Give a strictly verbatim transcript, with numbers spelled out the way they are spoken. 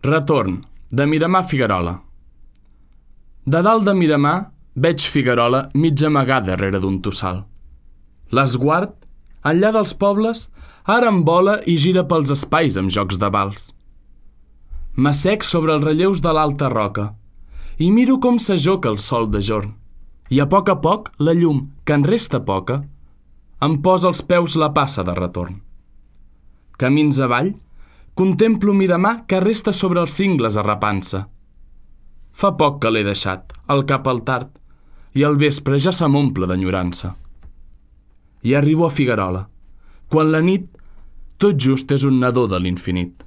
Retorn, de Miramar a Figuerola. De dalt de Miramar veig Figuerola mig amagada darrere d'un tossal. L'esguard, enllà dels pobles, ara em vola i gira pels espais amb jocs de vals. M'assec sobre els relleus de l'alta roca i miro com s'ajoca el sol de jorn. I a poc a poc la llum, que en resta poca, em posa als peus la passa de retorn. Camins avall, contemplo Miramar que resta sobre els cingles arrapant-se. Fa poc que l'he deixat, al cap al tard, i al vespre ja se m'omple d'enyorança. I arribo a Figuerola, quan la nit tot just és un nadó de l'infinit.